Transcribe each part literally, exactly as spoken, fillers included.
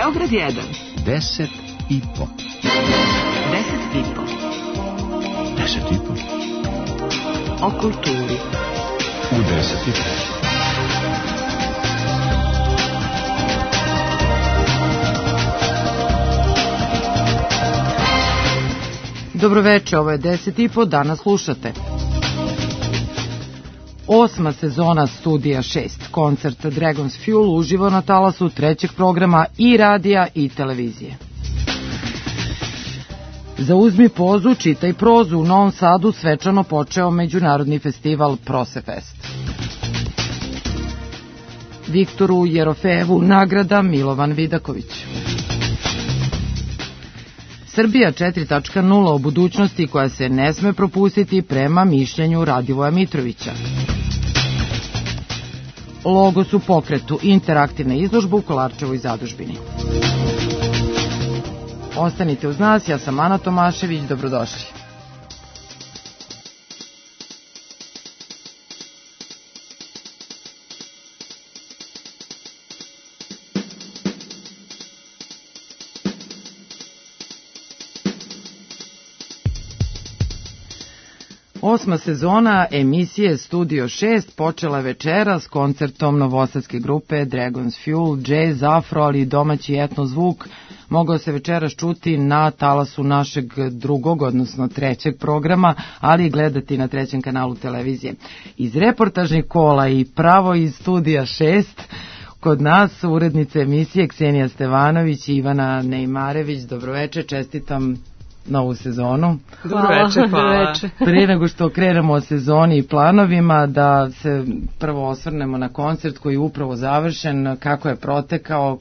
Beograd jedan. Deset i po. Deset i po. Deset i po. O kulturi. U deset i po. Dobroveče, ovo je deset i po, danas slušate. Osma sezona Studija šest, koncert Dragon's Fuel uživo na talasu trećeg programa i radija i televizije. Zauzmi pozu, čitaj prozu, u Novom Sadu svečano počeo međunarodni festival Prosefest. Viktoru Jerofejevu nagrada Milovan Vidaković. Srbija četiri tačka nula o budućnosti koja se ne sme propustiti prema mišljenju Radivoja Mitrovića. Logos u pokretu, interaktivna izložba u Kolarčevoj zadužbini. Ostanite uz nas, ja sam Ana Tomašević, dobrodošli. Osma sezona emisije Studio šest počela je večera s koncertom novosadske grupe Dragon's Fuel, jazz, afro, ali i domaći etno zvuk mogao se večeras čuti na talasu našeg drugog, odnosno trećeg programa, ali i gledati na trećem kanalu televizije. Iz reportažnih kola i pravo iz Studija šest kod nas urednice emisije Ksenija Stevanović i Ivana Nejmarević. Dobroveče, čestitam novu sezonu. Dobroveče, hvala. Prije nego što krenemo o sezoni i planovima, da se prvo osvrnemo na koncert koji je upravo završen, kako je protekao,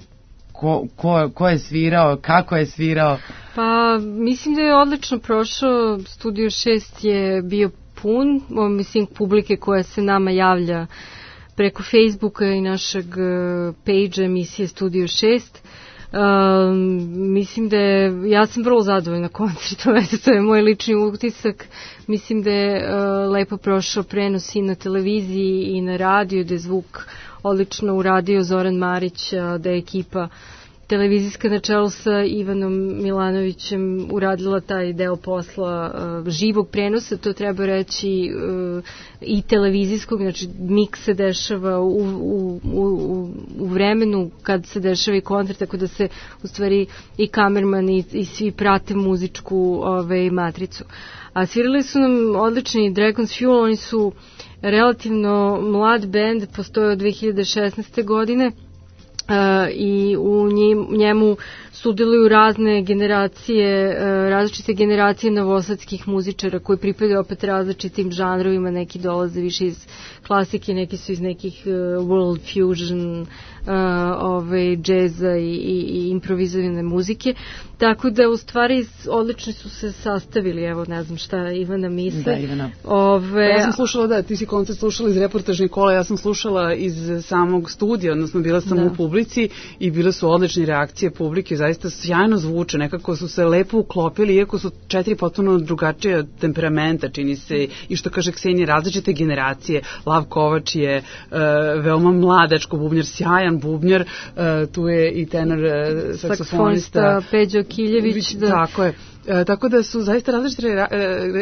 ko, ko, ko je svirao, kako je svirao. Pa, mislim da je odlično prošao. Studio šest je bio pun, mislim, publike koja se nama javlja preko Facebooka i našeg page emisije Studio šest. Um, mislim da je, ja sam vrlo zadovoljna koncertom, eto, to je moj lični utisak. Mislim da je uh, lepo prošao prenos i na televiziji i na radiju, da je zvuk odlično uradio Zoran Marić, uh, da je ekipa televizijska na čelu sa Ivanom Milanovićem uradila taj deo posla uh, živog prenosa, to treba reći, uh, i televizijskog, znači miks se dešava u, u, u, u vremenu kad se dešava i koncert, tako da se u stvari i kamerman i, i svi prate muzičku ove, matricu. A svirali su nam odlični Dragon's Fuel, oni su relativno mlad bend, postoje od dve hiljade šesnaeste. godine. Uh, i u njemu sudjeluju razne generacije, uh, različite generacije novosadskih muzičara koji pripadaju opet različitim žanrovima, neki dolaze više iz klasike, neki su iz nekih uh, world fusion, uh, ove, džeza i, i, i improvizovane muzike, tako da u stvari odlično su se sastavili. Evo, ne znam šta Ivana misle. Da, Ivana. Ove, pa ja sam slušala, da, ti si koncert slušala iz reportažnih kola, ja sam slušala iz samog studija, odnosno bila sam da. u publici i bile su odlične reakcije publike, zaista sjajno zvuče, nekako su se lepo uklopili, iako su četiri potpuno drugačije temperamenta, čini se, i što kaže Ksenija, različite generacije. Lav Kovač je uh, veoma mladačko bubnjar, sjajan bubnjar, uh, tu je i tenor uh, saksofonista Peđo Kiljević. Da. Tako je. E, tako da su zaista različite e,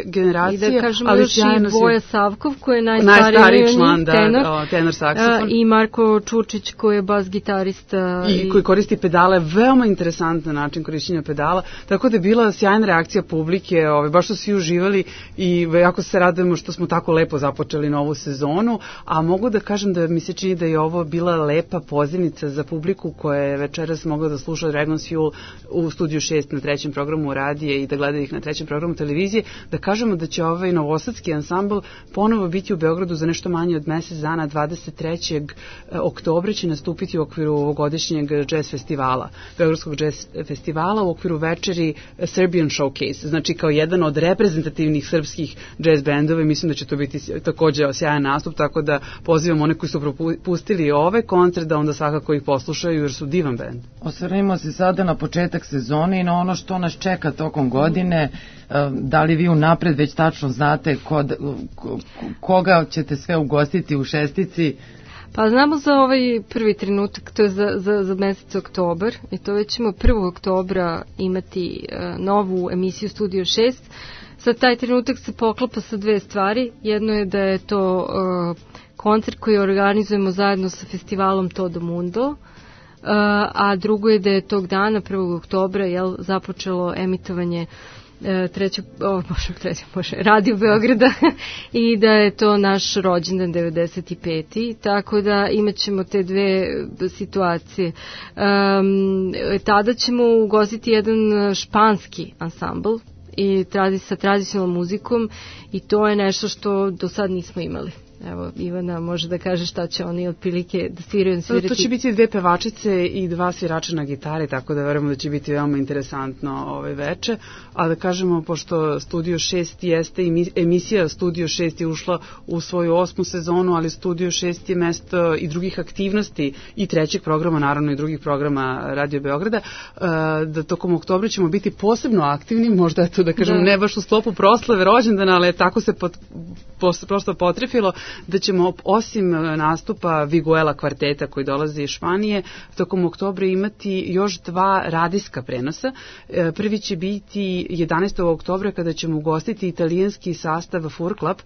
generacije, i da kažemo ali još i Boja Savkov koji je najstariji, najstariji član, da, tenor, o, tenor saksofon. I Marko Čučić koji je bas gitarista. I, i koji koristi pedale, veoma interesantan način korišćenja pedala, tako da je bila sjajna reakcija publike, ove, baš su svi uživali i jako se radujemo što smo tako lepo započeli novu sezonu, a mogu da kažem da mi se čini da je ovo bila lepa pozivnica za publiku koja je večeras mogla da sluša Dragon's Fuel u Studiju šest na trećem programu radije i da gleda ih na trećem programu televizije, da kažemo da će ovaj novosadski ansambl ponovo biti u Beogradu za nešto manje od mesec dana, dvadeset trećeg oktobra će nastupiti u okviru ovogodišnjeg jazz festivala, Beogradskog jazz festivala u okviru večeri Serbian Showcase, znači kao jedan od reprezentativnih srpskih jazz bendova i mislim da će to biti takođe sjajan nastup, tako da pozivam one koji su propustili ove koncert da onda svakako ih poslušaju jer su divan bend. Osvrnimo se sada na početak sezone i na ono što nas čeka tokom godine. Da li vi unapred već tačno znate kod, koga ćete sve ugostiti u šestici? Pa znamo za ovaj prvi trenutak, to je za, za, za mesec oktobar, i to već ćemo prvog oktobra imati uh, novu emisiju Studio šest. Sad taj trenutak se poklapa sa dve stvari. Jedno je da je to uh, koncert koji organizujemo zajedno sa festivalom Todo Mundo, uh, a drugo je da je tog dana, prvog oktobra, jel, započelo emitovanje trećeg, o, bože, trećeg, bože, Radio Beograda i da je to naš rođendan devedeset peti. Tako da imat ćemo te dve situacije. Um, tada ćemo ugostiti jedan španski ansambl i tradi, sa tradicionalnom muzikom, i to je nešto što do sad nismo imali. Evo, Ivana može da kaže šta će oni otprilike da sviraju. Svirati. To će biti dve pevačice i dva svirača na gitari, tako da verujemo da će biti veoma interesantno ove veče. A da kažemo, pošto Studio šest jeste, emisija Studio šest je ušla u svoju osmu sezonu, ali Studio šest je mesto i drugih aktivnosti i trećeg programa, naravno i drugih programa Radio Beograda, da tokom oktobra ćemo biti posebno aktivni, možda je to da kažemo da. Ne baš u sklopu proslave rođendana, ali tako se pot, post, prosto potrefilo da ćemo osim nastupa Viguela kvarteta koji dolazi iz Španije tokom oktobra imati još dva radijska prenosa. Prvi će biti jedanaestog oktobra kada ćemo ugostiti italijanski sastav Furklap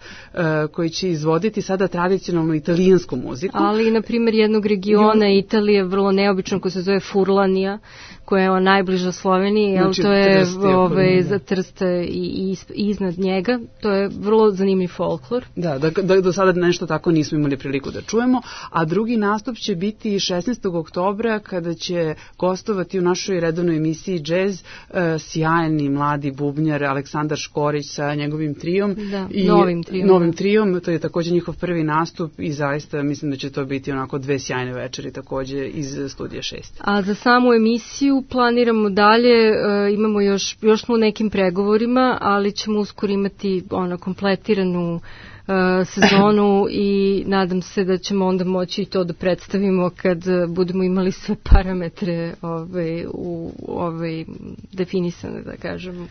koji će izvoditi sada tradicionalnu italijansku muziku. Ali, na primjer, jednog regiona I... Italije vrlo neobično koji se zove Furlanija, koja je najbliža Sloveniji, jel, znači, to je ove, za Trst i, i iznad njega. To je vrlo zanimljiv folklor. Da, da, da, do sada nešto tako nismo imali priliku da čujemo, a drugi nastup će biti šesnaestog oktobra kada će gostovati u našoj redovnoj emisiji Jazz uh, sjajni mladi bubnjar Aleksandar Škorić sa njegovim trijom. Da, i novim trijom. Novim trijom, to je također njihov prvi nastup i zaista mislim da će to biti onako dve sjajne večeri također iz Studija šest. A za samu emisiju planiramo dalje, uh, imamo još, još smo u nekim pregovorima, ali ćemo uskoro imati ono kompletiranu uh, sezonu i nadam se da ćemo onda moći i to da predstavimo kad budemo imali sve parametre ove, u ove, definisane, da kažemo.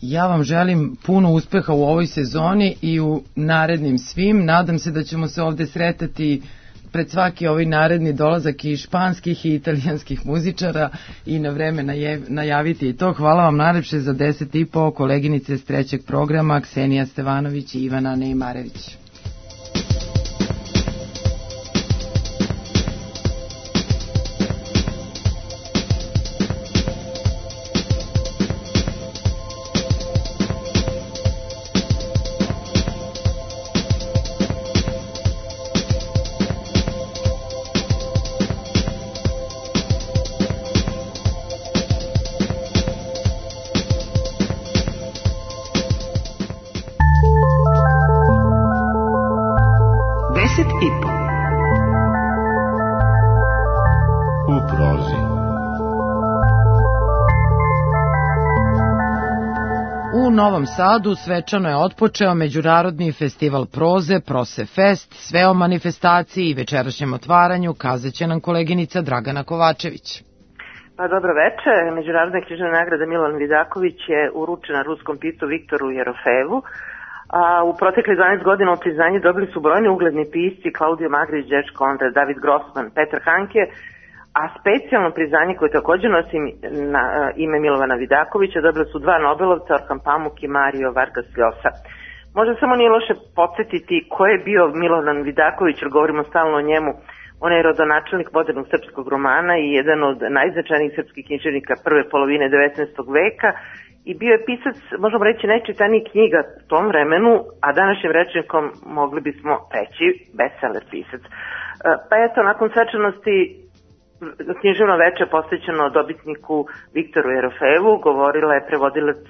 Ja vam želim puno uspeha u ovoj sezoni i u narednim svim. Nadam se da ćemo se ovde sretati pred svaki ovaj naredni dolazak i španskih i italijanskih muzičara i na vreme najaviti i to. Hvala vam najlepše za deset i po, koleginice s trećeg programa Ksenija Stevanović i Ivana Neimarević. Novom Sadu svečano je otpočeo Međunarodni festival proze, Prosefest, sve o manifestaciji i večerašnjem otvaranju kazaće nam koleginica Dragana Kovačević. Pa dobro veče, Međunarodna književna nagrada Milan Vidaković je uručena ruskom piscu Viktoru Jerofejevu, a u proteklih dvanaest godina od priznanja dobili su brojni ugledni pisci Klaudio Magrić, Đerč Konrad, David Grossman, Petar Hanke, a specijalno priznanje koje također nosi na ime Milovana Vidakovića dobili su dva Nobelovca, Orhan Pamuk i Mario Vargas Llosa. Možda samo nije loše podsjetiti ko je bio Milovan Vidaković, jer govorimo stalno o njemu. On je rodonačelnik modernog srpskog romana i jedan od najznačajnijih srpskih književnika prve polovine devetnaestog veka i bio je pisac, možemo reći, najčitanijih knjiga u tom vremenu, a današnjim rečnikom mogli bismo reći bestseller pisac. Pa eto, nakon svečanosti književno veče posvećeno dobitniku Viktoru Jerofejevu govorila je prevodilac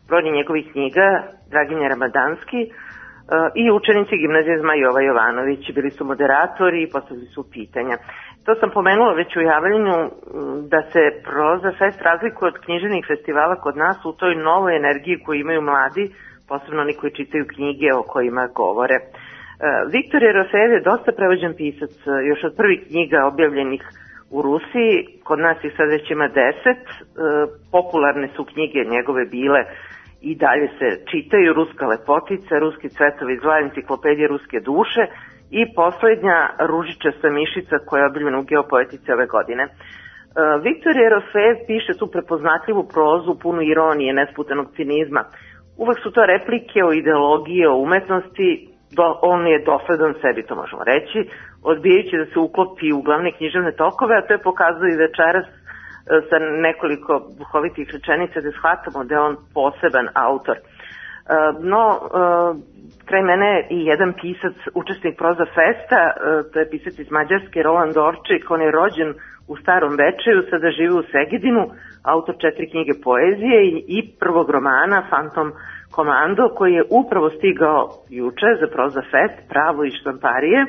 brojnih njegovih knjiga Draginja Ramadanski i učenici gimnazije Zmaj Jova Jovanović. Bili su moderatori i postavili su pitanja. To sam pomenula već u javljanju da se Proza Fest razlikuje od književnih festivala kod nas u toj novoj energiji koju imaju mladi, posebno oni koji čitaju knjige o kojima govore. Viktor Jerofejev je dosta prevođen pisac, još od prvih knjiga objavljenih u Rusiji, kod nas ih sad već ima deset, e, popularne su knjige njegove bile i dalje se čitaju, Ruska lepotica, Ruski cvetovi zla, Enciklopedija ruske duše i poslednja Ružičasta mišica koja je objavljena u Geopoetici ove godine. Viktor Jerofejev piše tu prepoznatljivu prozu punu ironije, nesputanog cinizma. Uvek su to replike o ideologiji, o umetnosti, do, on je dosledan sebi, to možemo reći, odbijajući da se uklopi u glavne književne tokove, a to je pokazao i večeras sa nekoliko duhovitih rečenica da shvatamo da je on poseban autor. No, kraj mene i jedan pisac, učesnik Proza Festa, to je pisac iz Mađarske, Roland Orčik, on je rođen u Starom Bečeju, sada živi u Segedinu, autor četiri knjige poezije i prvog romana Fantom Komando, koji je upravo stigao juče za Proza Fest, Pravo i štamparije.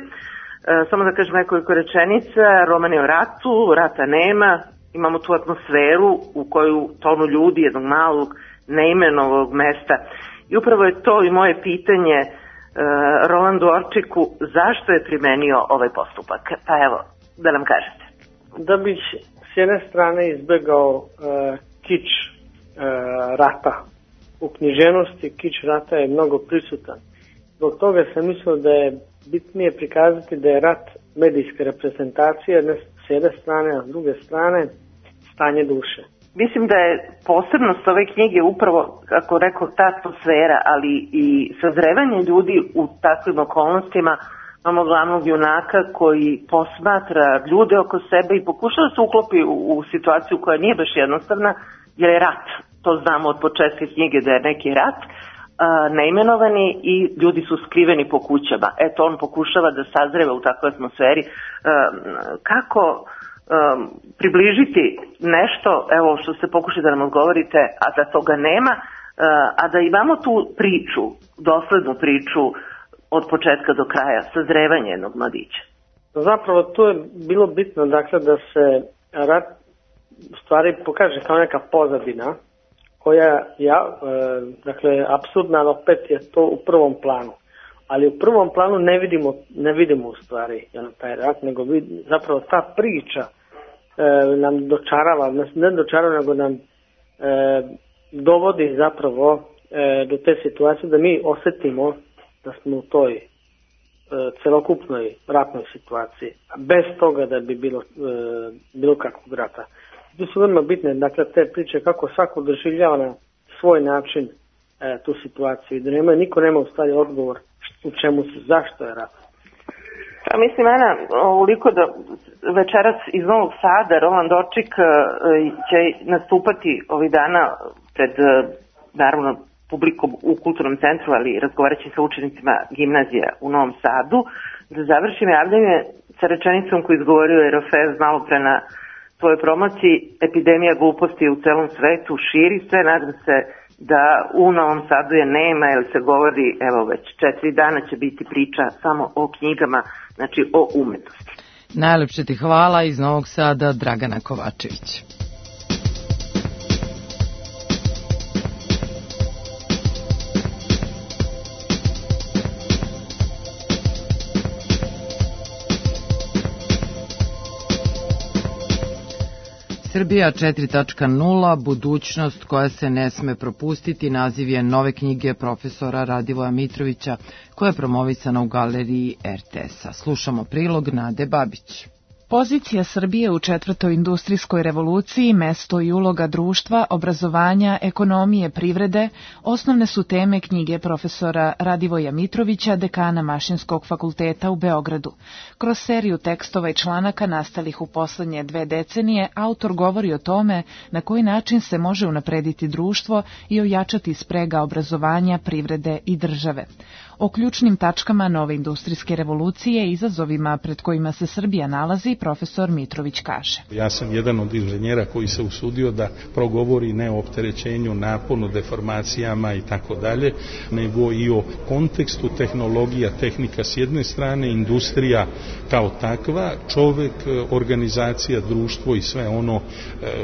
Samo da kažem nekoliko rečenica, roman je o ratu, rata nema, imamo tu atmosferu u koju tonu ljudi jednog malog neimenovog mesta. I upravo je to i moje pitanje uh, Rolandu Orčiku, zašto je primenio ovaj postupak? Pa evo, da nam kažete. Da bih s jedne strane izbegao uh, kič uh, rata. U književnosti kič rata je mnogo prisutan. Zbog toga sam mislio da je bitnije prikazati da je rat medijska reprezentacija s jedne strane, a s druge strane stanje duše. Mislim da je posebnost ove knjige upravo, kako rekao, ta atmosfera, ali i sazrevanje ljudi u takvim okolnostima. Imamo glavnog junaka koji posmatra ljude oko sebe i pokušava da se uklopi u, u situaciju koja nije baš jednostavna, jer je rat. To znamo od početka knjige da je neki rat, a, neimenovani i ljudi su skriveni po kućama. Eto, on pokušava da sazreva u takvoj atmosferi. A, kako Um, približiti nešto, evo što ste pokušali da nam odgovorite, a da toga nema, uh, a da imamo tu priču, doslednu priču od početka do kraja, sazrevanje jednog mladića. Zapravo tu je bilo bitno, dakle, da se rat u stvari pokaže kao neka pozadina koja, ja, e, dakle, apsurdna, ali opet je to u prvom planu. Ali u prvom planu ne vidimo, ne vidimo u stvari jel, taj rat, nego vid, zapravo ta priča e, nam dočarava, ne dočarava, nego nam e, dovodi zapravo e, do te situacije da mi osjetimo da smo u toj e, celokupnoj ratnoj situaciji, bez toga da bi bilo, e, bilo kakvog rata. Tu su veoma bitne, dakle, te priče kako svako doživljava na svoj način e, tu situaciju i da nema, niko nema u stvari odgovor u čemu se, zašto je rat. Pa mislim, Ana, ovoliko da večeras iz Novog Sada Roland Orčik će nastupati ovih dana pred, naravno, publikom u Kulturnom centru, ali razgovarajući sa učenicima gimnazija u Novom Sadu. Da završim javljanje sa rečenicom koju izgovorio Jerofejev malo pre na svojoj promociji: epidemija gluposti u celom svetu širi se, nadam se da u Novom Sadu je nema, jer se govori, evo već četiri dana će biti priča samo o knjigama, znači o umetnosti. Najlepše ti hvala, iz Novog Sada Dragana Kovačević. Srbija četiri tačka nula, budućnost koja se ne sme propustiti, naziv je nove knjige profesora Radivoja Mitrovića, koja je promovisana u galeriji er te es-a. Slušamo prilog Nade Babić. Pozicija Srbije u četvrtoj industrijskoj revoluciji, mesto i uloga društva, obrazovanja, ekonomije, privrede, osnovne su teme knjige profesora Radivoja Mitrovića, dekana Mašinskog fakulteta u Beogradu. Kroz seriju tekstova i članaka nastalih u poslednje dve decenije, autor govori o tome na koji način se može unaprediti društvo i ojačati sprega obrazovanja, privrede i države. O ključnim tačkama nove industrijske revolucije i izazovima pred kojima se Srbija nalazi, profesor Mitrović kaže. Ja sam jedan od inženjera koji se usudio da progovori ne o opterećenju, naponu, deformacijama i tako dalje, nego i o kontekstu tehnologija, tehnika s jedne strane, industrija kao takva, čovek, organizacija, društvo i sve ono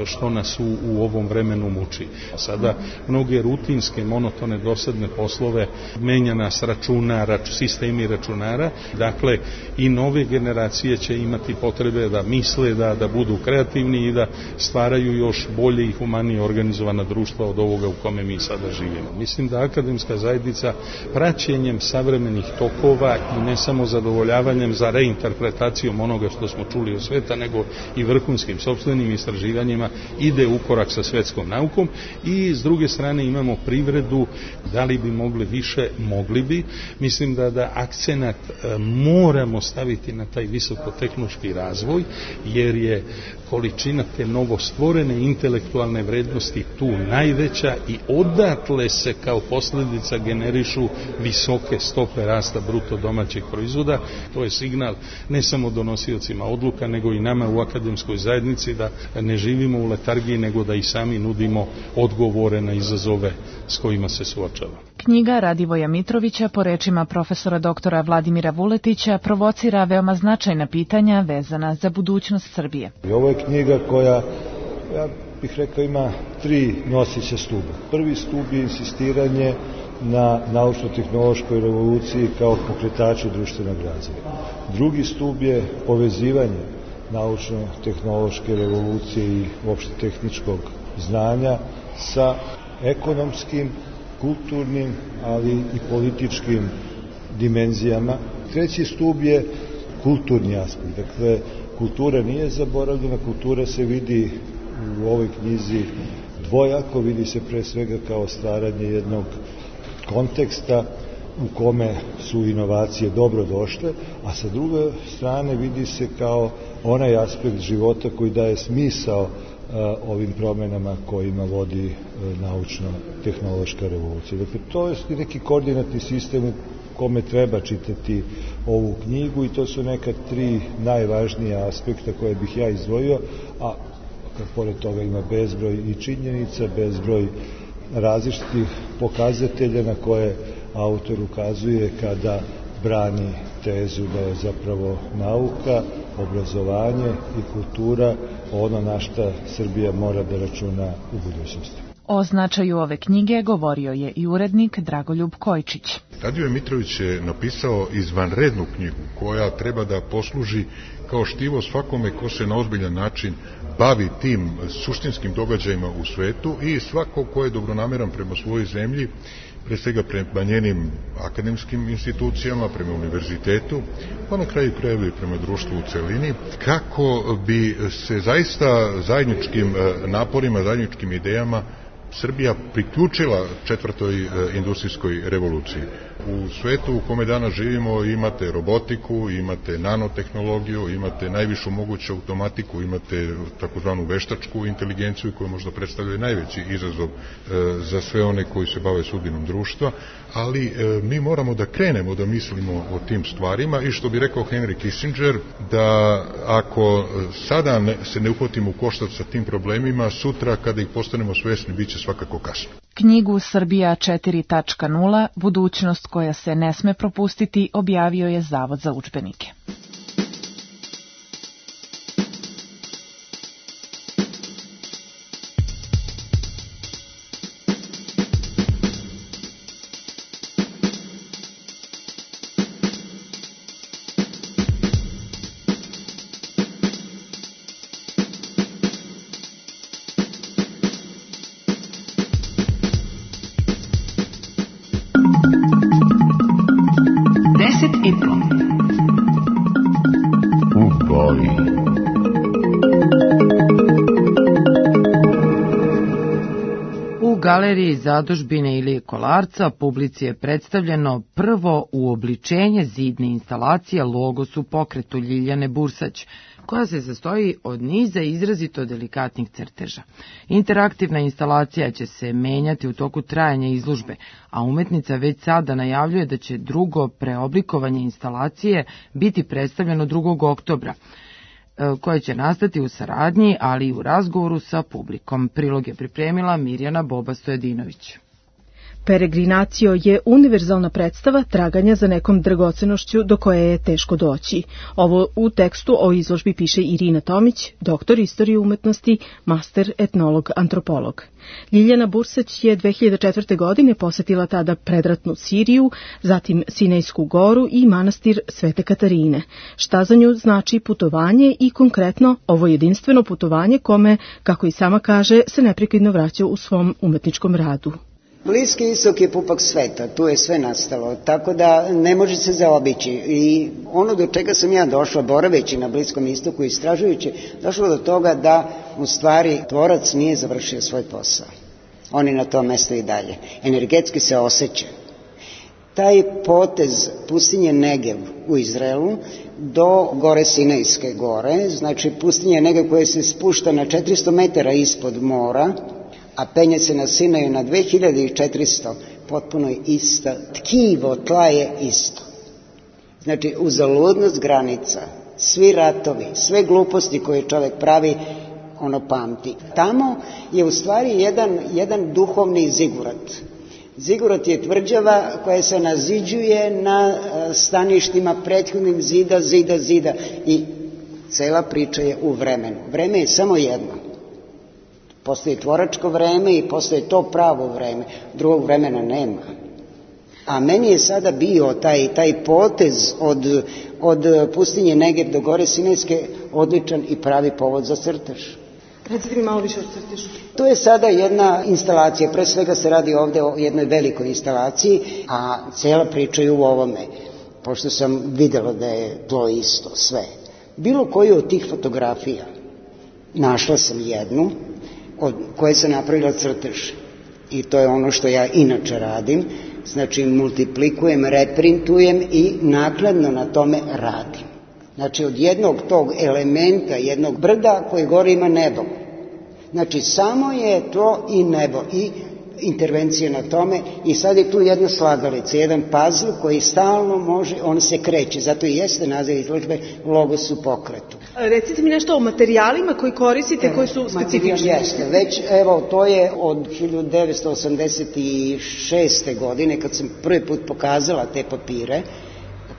što nas u, u ovom vremenu muči. Sada mnoge rutinske, monotone, dosadne poslove menja nas račun računa, rač, sistemi računara. Dakle, i nove generacije će imati potrebe da misle, da, da budu kreativni i da stvaraju još bolje i humanije organizovana društva od ovoga u kome mi sada živimo. Mislim da akademska zajednica praćenjem savremenih tokova i ne samo zadovoljavanjem za reinterpretacijom onoga što smo čuli od sveta, nego i vrhunskim sopstvenim istraživanjima ide u korak sa svetskom naukom i s druge strane imamo privredu, da li bi mogli više, mogli bi. Mislim da, da akcenat e, moramo staviti na taj visokotehnološki razvoj, jer je količina te novostvorene intelektualne vrednosti tu najveća i odatle se kao posljedica generišu visoke stope rasta bruto domaćeg proizvoda. To je signal ne samo donosiocima odluka, nego i nama u akademskoj zajednici da ne živimo u letargiji, nego da i sami nudimo odgovore na izazove s kojima se suočava. Knjiga Radivoja Mitrovića, po rečima profesora doktora Vladimira Vuletića, provocira veoma značajna pitanja vezana za budućnost Srbije. I ovo je knjiga koja, ja bih rekao, ima tri nosića stuba. Prvi stub je insistiranje na naučno-tehnološkoj revoluciji kao pokretaču društvenog razvoja. Drugi stub je povezivanje naučno-tehnološke revolucije i uopšte tehničkog znanja sa ekonomskim, kulturnim, ali i političkim dimenzijama. Treći stub je kulturni aspekt. Dakle, kultura nije zaboravljena, kultura se vidi u ovoj knjizi dvojako, vidi se pre svega kao stvaranje jednog konteksta u kome su inovacije dobro došle, a sa druge strane vidi se kao onaj aspekt života koji daje smisao ovim promenama kojima vodi naučno-tehnološka revolucija. Dakle, to je neki koordinatni sistem u kome treba čitati ovu knjigu i to su neka tri najvažnija aspekta koje bih ja izdvojio, a kad pored toga ima bezbroj i činjenica, bezbroj različitih pokazatelja na koje autor ukazuje kada brani tezu da je zapravo nauka, obrazovanje i kultura ono na šta Srbija mora da računa u budućnosti. O značaju ove knjige govorio je i urednik Dragoljub Kojčić. Radivoje Mitrović je napisao izvanrednu knjigu koja treba da posluži kao štivo svakome ko se na ozbiljan način bavi tim suštinskim događajima u svetu i svako ko je dobronameran prema svojoj zemlji, pre svega prema njenim akademskim institucijama, prema univerzitetu, pa na kraju krajeva i prema društvu u celini, kako bi se zaista zajedničkim naporima, zajedničkim idejama Srbija priključila četvrtoj industrijskoj revoluciji. U svetu u kome danas živimo imate robotiku, imate nanotehnologiju, imate najvišu moguću automatiku, imate takozvanu veštačku inteligenciju koja možda predstavlja najveći izazov za sve one koji se bave sudbinom društva, ali mi moramo da krenemo da mislimo o tim stvarima i što bi rekao Henry Kissinger, da ako sada ne, se ne uhvatimo u koštac sa tim problemima, sutra kada ih postanemo svesni bit će svakako kasno. Knjigu Srbija četiri tačka nula, budućnost koja se ne sme propustiti, objavio je Zavod za udžbenike. Galeriji Zadužbine ili Kolarca publici je predstavljeno prvo uobličenje zidne instalacije Logos u pokretu Ljiljane Bursać, koja se sastoji od niza izrazito delikatnih crteža. Interaktivna instalacija će se menjati u toku trajanja izložbe, a umetnica već sada najavljuje da će drugo preoblikovanje instalacije biti predstavljeno drugog oktobra, koje će nastati u saradnji, ali i u razgovoru sa publikom. Prilog je pripremila Mirjana Boba Stojedinović. Peregrinacio je univerzalna predstava traganja za nekom dragocenošću do koje je teško doći. Ovo u tekstu o izložbi piše Irina Tomić, doktor istorije umetnosti, master etnolog, antropolog. Ljiljana Bursać je dve hiljade četvrte. godine posetila tada predratnu Siriju, zatim Sinejsku goru i manastir Svete Katarine. Šta za nju znači putovanje i konkretno ovo jedinstveno putovanje kome, kako i sama kaže, se neprekidno vraća u svom umetničkom radu. Bliski istok je pupak sveta, tu je sve nastalo, tako da ne može se zaobići. I ono do čega sam ja došla, boraveći na Bliskom istoku i istražujući, došla do toga da u stvari tvorac nije završio svoj posao. On je na tom mestu i dalje. Energetski se osjeća. Taj potez pustinje Negev u Izraelu do gore Sinejske gore, znači pustinje Negev koja se spušta na četiristo metara ispod mora, a penje se na Sinaju na dve hiljade četiristo, potpuno je isto. Tkivo, tla je isto. Znači, uzaludnost granica, svi ratovi, sve gluposti koje čovjek pravi, ono pamti. Tamo je u stvari jedan, jedan duhovni zigurat. Zigurat je tvrđava koja se naziđuje na staništima prethodnim zida, zida, zida. I cela priča je u vremenu. Vreme je samo jedno. Postoji tvoračko vreme i postoji to pravo vreme. Drugog vremena nema. A meni je sada bio taj, taj potez od, od pustinje Negev do gore Sinejske odličan i pravi povod za crtež. Recite mi malo više o crtežu. To je sada jedna instalacija, pre svega se radi ovde o jednoj velikoj instalaciji, a cijela priča je u ovome, pošto sam videla da je to isto, sve. Bilo koju od tih fotografija, našla sam jednu, od koje sam napravila crtež. I to je ono što ja inače radim, znači multiplikujem, reprintujem i nakladno na tome radim. Znači od jednog tog elementa, jednog brda koji gore ima nebo. Znači samo je to i nebo i intervencija na tome i sad je tu jedna slagalica, jedan puzzle koji stalno može, on se kreće, zato i jeste naziv izložbe Logos u pokretu. Recite mi nešto o materijalima koji koristite, evo, koji su specifični. Jeste, već evo to je od hiljadu devetsto osamdeset šeste. godine kad sam prvi put pokazala te papire.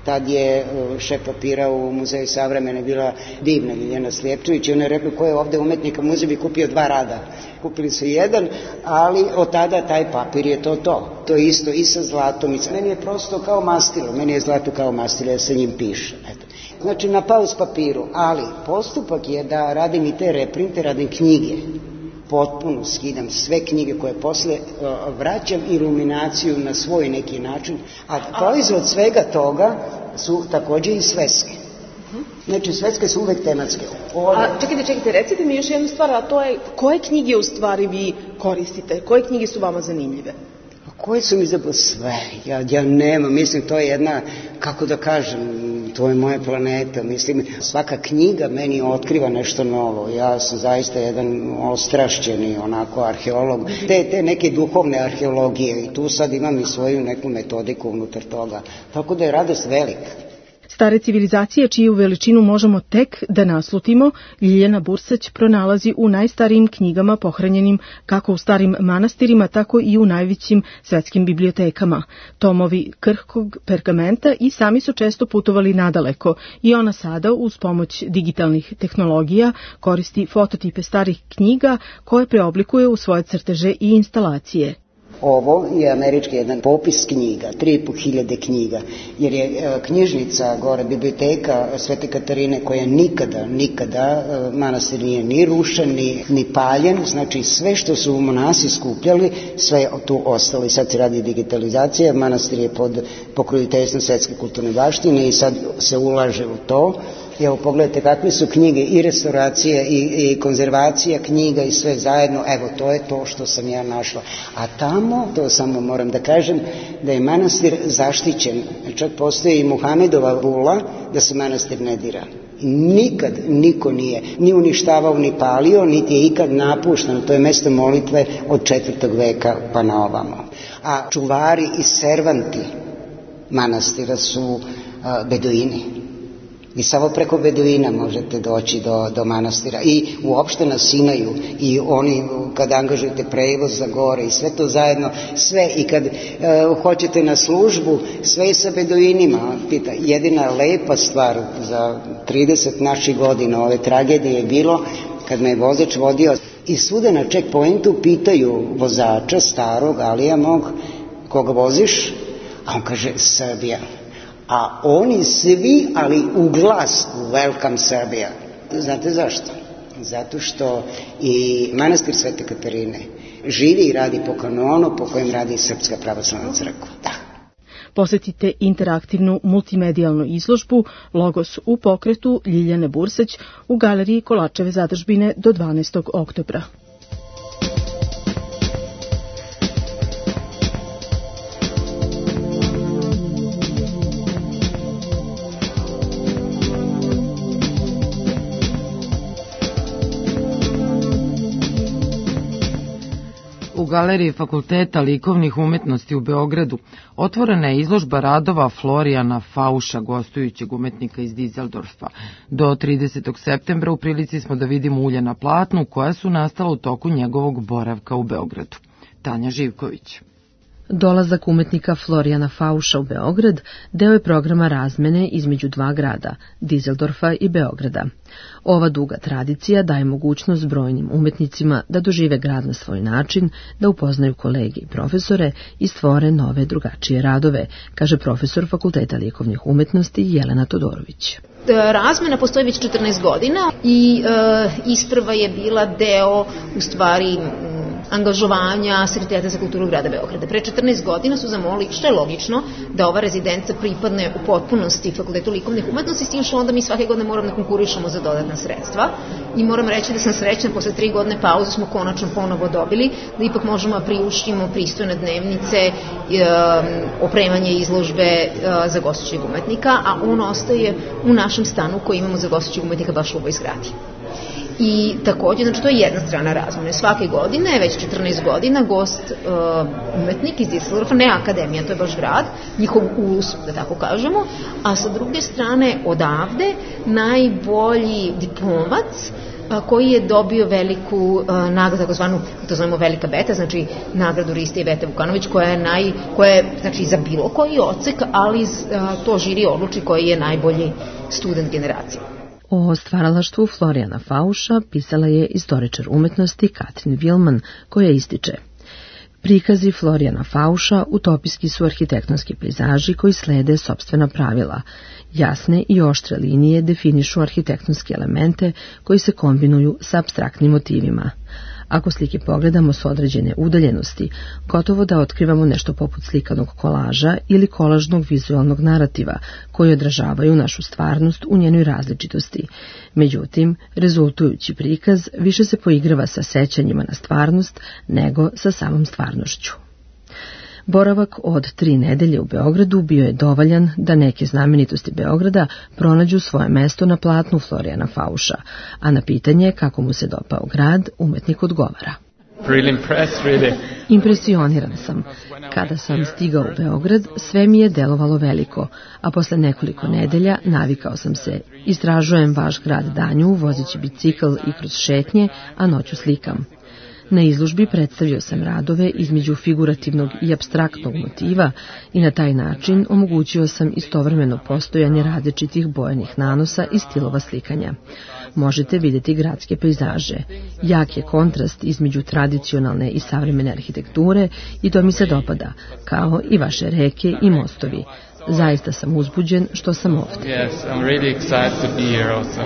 Tad je šef papira u Muzeju savremene bila divna Ljiljana Slijepčević i ona je rekla ko je ovde umetnika, muzej bi kupio dva rada. Kupili su jedan, ali od tada taj papir je to to. To je isto i sa zlatom. Meni je prosto kao mastilo, meni je zlato kao mastilo, ja sa njim pišem. Eto. Znači na pauz papiru, ali postupak je da radim i te reprinte, radim knjige. Potpuno skidam sve knjige koje posle uh, vraćam iluminaciju na svoj neki način, a proizvod svega toga su takođe i sveske. Znači sveske su uvek tematske. Ove... A čekajte, čekajte, recite mi još jednu stvar, a to je koje knjige u stvari vi koristite, koje knjige su vama zanimljive? Koje su mi zapravo sve, ja, ja nemam, mislim to je jedna, kako da kažem, to je moja planeta, mislim svaka knjiga meni otkriva nešto novo, ja sam zaista jedan ostrašćeni onako arheolog, te, te neke duhovne arheologije i tu sad imam i svoju neku metodiku unutar toga, tako da je radost velika. Stare civilizacije, čiju veličinu možemo tek da naslutimo, Ljiljana Bursać pronalazi u najstarijim knjigama pohranjenim kako u starim manastirima, tako i u najvećim svetskim bibliotekama. Tomovi krhkog pergamenta i sami su često putovali nadaleko i ona sada, uz pomoć digitalnih tehnologija, koristi fototipe starih knjiga koje preoblikuje u svoje crteže i instalacije. Ovo je američki jedan popis knjiga, tri i po hiljade knjiga, jer je e, knjižnica, gore biblioteka Svete Katarine, koja nikada, nikada e, manastir nije ni rušen, ni, ni paljen, znači sve što su monasi skupljali, sve je tu ostalo i sad se radi digitalizacija, manastir je pod pokroviteljstvom svetske kulturne baštine i sad se ulaže u to. Evo, pogledajte kakve su knjige i restauracija i, i konzervacija knjiga i sve zajedno, evo, to je to što sam ja našla. A tamo, to samo moram da kažem, da je manastir zaštićen, čak postoji i Muhamedova vula da se manastir ne dira. Nikad niko nije ni uništavao, ni palio, niti je ikad napušteno, to je mesto molitve od četvrtog veka pa na ovamo. A čuvari i servanti manastira su a, beduini. Vi samo preko Beduina možete doći do, do manastira i uopšte na Sinaju i oni kad angažujete prevoz za gore i sve to zajedno, sve i kad e, hoćete na službu, sve je sa Beduinima. Pita, jedina lepa stvar za trideset naših godina ove tragedije je bilo kad me je vozač vodio i svuda na checkpointu pitaju vozača starog, Alija mog, koga voziš? A on kaže Srbija. A oni svi, ali u glas, welcome Serbia. Znate zašto? Zato što i manastir Svete Katarine živi i radi po kanonu po kojem radi Srpska pravoslavna crkva. Da. Posetite interaktivnu multimedijalnu izložbu Logos u pokretu Ljiljane Burseć u galeriji Kolačeve zadužbine do dvanaestog oktobra. U galeriji Fakulteta likovnih umetnosti u Beogradu otvorena je izložba radova Florijana Fauša, gostujućeg umetnika iz Dizeldorfa. Do tridesetog septembra u prilici smo da vidimo ulje na platnu koja su nastala u toku njegovog boravka u Beogradu. Tanja Živković. Dolazak umetnika Florijana Fauša u Beograd deo je programa razmene između dva grada, Dizeldorfa i Beograda. Ova duga tradicija daje mogućnost brojnim umetnicima da dožive grad na svoj način, da upoznaju kolege i profesore i stvore nove drugačije radove, kaže profesor Fakulteta likovnih umetnosti Jelena Todorović. Razmena postoji već četrnaest godina i e, isprva je bila deo u stvari angažovanja Sekretariata za kulturu grada Beograda. Pre četrnaest godina su zamolili, što je logično, da ova rezidenca pripadne u potpunosti Fakultetu likovnih umetnosti, s tim što onda mi svake godine moramo da konkurišemo za dodatna sredstva. I moram reći da sam srećna, posle tri godine pauze smo konačno ponovo dobili, da ipak možemo da priuštimo pristojne dnevnice, e, opremanje izložbe e, za gostujućeg umetnika, a on ostaje u našem stanu koji imamo za gostujućeg umetnika baš u ovoj zgradi. I takođe, znači to je jedna strana razmene. Svake godine, već četrnaest godina, gost uh, umetnik iz Dizeldorfa, ne akademija, to je baš grad, njihov ulus, da tako kažemo, a sa druge strane odavde najbolji diplomac a, koji je dobio veliku uh, nagradu, takozvanu, to zovemo Velika Beta, znači nagradu Riste i Vete Vukanović, koja je, naj, koja je znači, za bilo koji odsek, ali uh, to žiri odluči koji je najbolji student generacije. O stvaralaštvu Florijana Fauša pisala je istoričar umetnosti Katrin Vilman, koja ističe: prikazi Florijana Fauša utopijski su arhitektonski pejzaži koji slede sopstvena pravila. Jasne i oštre linije definišu arhitektonske elemente koji se kombinuju sa apstraktnim motivima. Ako slike pogledamo s određene udaljenosti, gotovo da otkrivamo nešto poput slikanog kolaža ili kolažnog vizualnog narativa koji odražavaju našu stvarnost u njenoj različitosti. Međutim, rezultujući prikaz više se poigrava sa sećanjima na stvarnost nego sa samom stvarnošću. Boravak od tri nedelje u Beogradu bio je dovoljan da neke znamenitosti Beograda pronađu svoje mesto na platnu Florijana Fauša, a na pitanje kako mu se dopao grad, umetnik odgovara: impresioniran sam. Kada sam stigao u Beograd, sve mi je delovalo veliko, a posle nekoliko nedelja navikao sam se. Istražujem vaš grad danju, vozeći bicikl i kroz šetnje, a noću slikam. Na izložbi predstavio sam radove između figurativnog i apstraktnog motiva i na taj način omogućio sam istovremeno postojanje različitih bojanih nanosa i stilova slikanja. Možete vidjeti gradske pejzaže. Jak je kontrast između tradicionalne i savremene arhitekture i to mi se dopada, kao i vaše reke i mostovi. Zaista sam uzbuđen što sam ovdje. Yes, I'm really excited to be here also.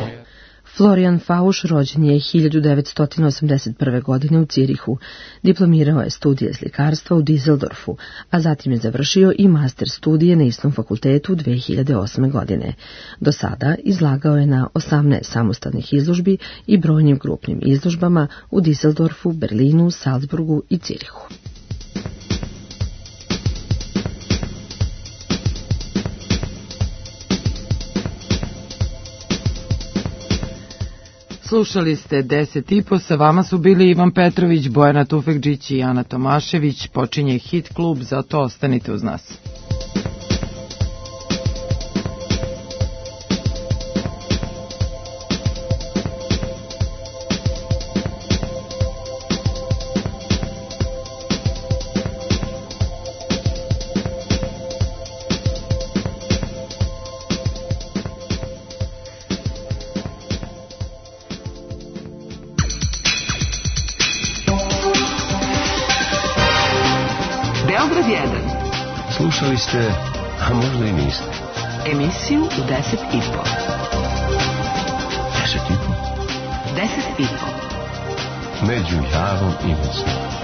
Florijan Fauš rođen je hiljadu devetsto osamdeset prve. godine u Cirihu. Diplomirao je studije slikarstva u Dizeldorfu, a zatim je završio i master studije na istom fakultetu dve hiljade osme. godine. Do sada izlagao je na osamnaest samostalnih izložbi i brojnim grupnim izložbama u Dizeldorfu, Berlinu, Salzburgu i Cirihu. Slušali ste deset i po, sa vama su bili Ivan Petrović, Bojana Tufekđić i Ana Tomašević. Počinje Hit klub, zato ostanite uz nas. pod jedan. Slušali ste, a možda i niste. Emisiju u deset i po. Deset i po? Deset i po. Među Javom i Mocnom.